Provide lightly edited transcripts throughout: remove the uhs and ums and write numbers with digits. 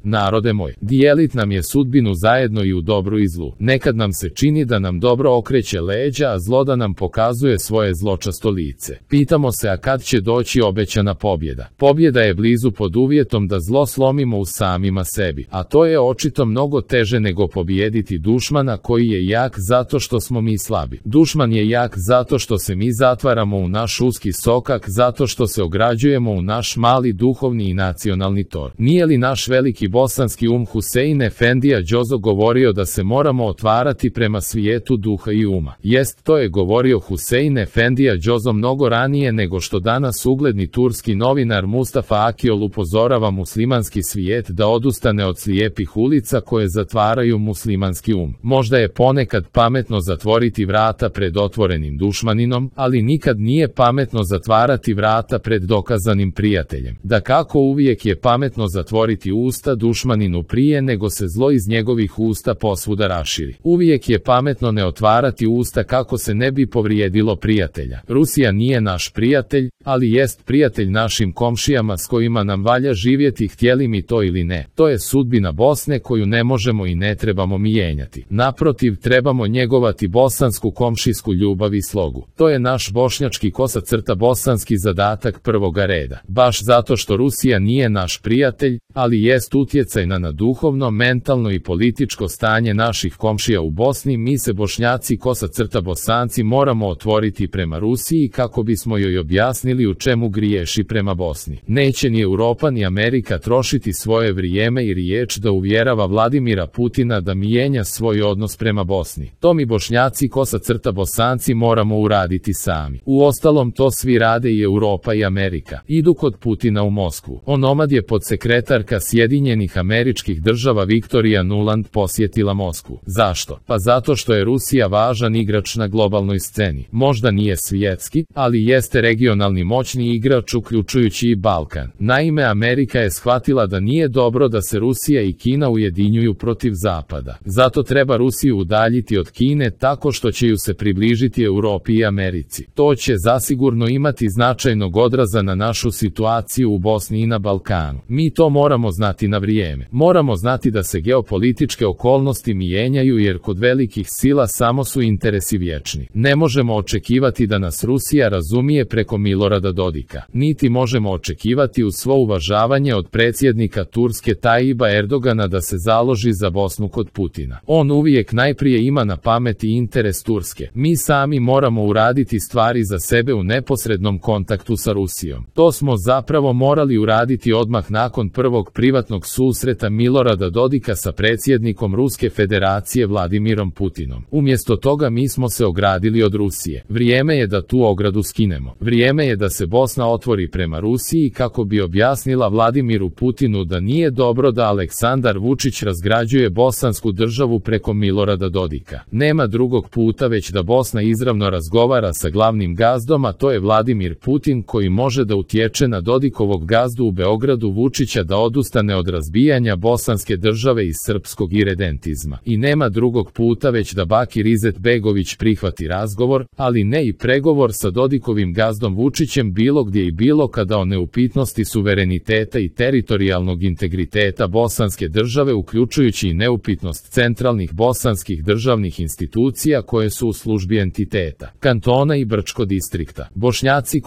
Narode moj, dijelit nam je sudbinu zajedno i u dobru i zlu. Nekad nam se čini da nam dobro okreće leđa, a zlo da nam pokazuje svoje zločasto lice. Pitamo se, a kad će doći obećana pobjeda? Pobjeda je blizu pod uvjetom da zlo slomimo u samima sebi, a to je očito mnogo teže nego pobijediti dušmana koji je jak zato što smo mi slabi. Dušman je jak zato što se mi zatvaramo u naš uski sokak, zato što se ograđujemo u naš mali duhovni i nacionalni tor. Nije li naš veliki bosanski Husein Efendija Džozo govorio da se moramo otvarati prema svijetu duha i uma? Jest, to je govorio Husein Efendija Džozo mnogo ranije nego što danas ugledni turski novinar Mustafa Akiol upozorava muslimanski svijet da odustane od slijepih ulica koje zatvaraju muslimanski um. Možda je ponekad pametno zatvoriti vrata pred otvorenim dušmaninom, ali nikad nije pametno zatvarati vrata pred dokazanim prijateljem. Dakako, uvijek je pametno zatvoriti usta dušmaninu prije nego se zlo iz njegovih usta posvuda raširi. Uvijek je pametno ne otvarati usta kako se ne bi povrijedilo prijatelja. Rusija nije naš prijatelj, ali jest prijatelj našim komšijama s kojima nam valja živjeti, htjeli mi to ili ne. To je sudbina Bosne koju ne možemo i ne trebamo mijenjati. Naprotiv, trebamo njegovati bosansku komšijsku ljubav i slogu. To je naš bošnjački bosanski zadatak prvoga reda. Baš zato što Rusija nije naš prijatelj, ali jest utjecajna na duhovno, mentalno i političko stanje naših komšija u Bosni, mi se Bošnjaci Bosanci moramo otvoriti prema Rusiji kako bismo joj objasnili u čemu griješi prema Bosni. Neće ni Europa ni Amerika trošiti svoje vrijeme i riječ da uvjerava Vladimira Putina da mijenja svoj odnos prema Bosni. To mi Bošnjaci Bosanci moramo uraditi sami. Uostalom, to svi rade i Europa i Amerika. Idu kod Putina u Moskvu. Onomad je podsekretarka Sjedinjenih Američkih Država Victoria Nuland posjetila Moskvu. Zašto? Pa zato što je Rusija važan igrač na globalnoj sceni. Možda nije svjetski, ali jeste regionalni moćni igrač uključujući i Balkan. Naime, Amerika je shvatila da nije dobro da se Rusija i Kina ujedinjuju protiv Zapada. Zato treba Rusiju udaljiti od Kine tako što će ju se približiti Europi i Americi. To će zasigurno imati značajnog odraza na našu situaciju u Bosni i na Balkanu. Mi to moramo znati na vrijeme. Moramo znati da se geopolitičke okolnosti mijenjaju jer kod velikih sila samo su interesi vječni. Ne možemo očekivati da nas Rusija razumije preko Milorada Dodika. Niti možemo očekivati uz svo uvažavanje od predsjednika Turske Tajiba Erdogana da se založi za Bosnu kod Putina. On uvijek najprije ima na pameti interes Turske. Mi sami moramo uraditi stvari za sebe u neposrednom kontaktu sa Rusijom. To smo zapravo morali uraditi odmah nakon prvog privatnog susreta Milorada Dodika sa predsjednikom Ruske federacije Vladimirom Putinom. Umjesto toga mi smo se ogradili od Rusije. Vrijeme je da tu ogradu skinemo. Vrijeme je da se Bosna otvori prema Rusiji kako bi objasnila Vladimiru Putinu da nije dobro da Aleksandar Vučić razgrađuje bosansku državu preko Milorada Dodika. Nema drugog puta već da Bosna izravno razgovara sa glavnim gazdom, a to je Vladimir Putin, koji može da utječe na Dodikovog gazdu u Beogradu Vučića da odustane od razbijanja bosanske države i srpskog iredentizma. I nema drugog puta već da Bakir Izetbegović prihvati razgovor, ali ne i pregovor sa Dodikovim gazdom Vučićem bilo gdje i bilo kada o neupitnosti suvereniteta i teritorijalnog integriteta bosanske države, uključujući i neupitnost centralnih bosanskih državnih institucija koje su u službi entiteta, kantona i Brčko distrikta. Bošnjaci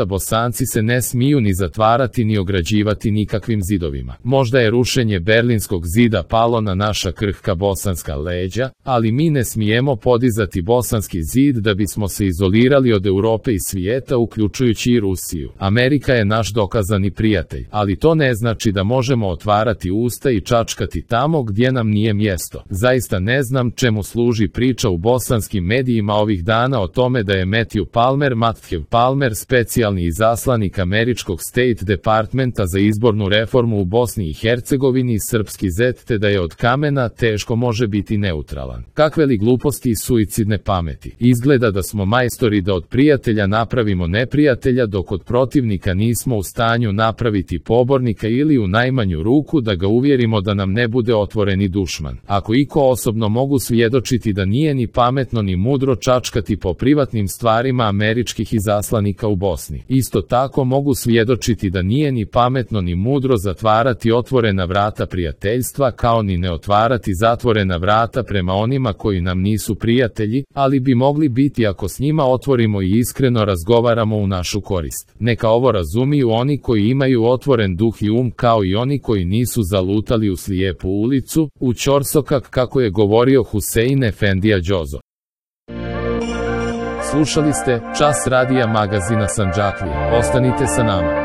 Bosanci se ne smiju ni zatvarati ni ograđivati nikakvim zidovima. Možda je rušenje Berlinskog zida palo na naša krhka bosanska leđa, ali mi ne smijemo podizati bosanski zid da bismo se izolirali od Europe i svijeta, uključujući i Rusiju. Amerika je naš dokazani prijatelj, ali to ne znači da možemo otvarati usta i čačkati tamo gdje nam nije mjesto. Zaista ne znam čemu služi priča u bosanskim medijima ovih dana o tome da je Matthew Palmer, specijalni izaslanik američkog State Departmenta za izbornu reformu u Bosni i Hercegovini, srpski zet, te da je od kamena teško može biti neutralan. Kakve li gluposti i suicidne pameti. Izgleda da smo majstori da od prijatelja napravimo neprijatelja, dok od protivnika nismo u stanju napraviti pobornika ili u najmanju ruku da ga uvjerimo da nam ne bude otvoreni dušman. Ako iko osobno mogu svjedočiti da nije ni pametno ni mudro čačkati po privatnim stvarima američkih izaslanika u Bosni. Isto tako mogu svjedočiti da nije ni pametno ni mudro zatvarati otvorene otvorena vrata prijateljstva, kao ni ne otvarati zatvorena vrata prema onima koji nam nisu prijatelji, ali bi mogli biti ako s njima otvorimo i iskreno razgovaramo u našu korist. Neka ovo razumiju oni koji imaju otvoren duh i kao i oni koji nisu zalutali u slijepu ulicu, u ćorsokak, kako je govorio Husein Efendija Džozo. Slušali ste Čas radija magazina Sandžaklije. Ostanite sa nama.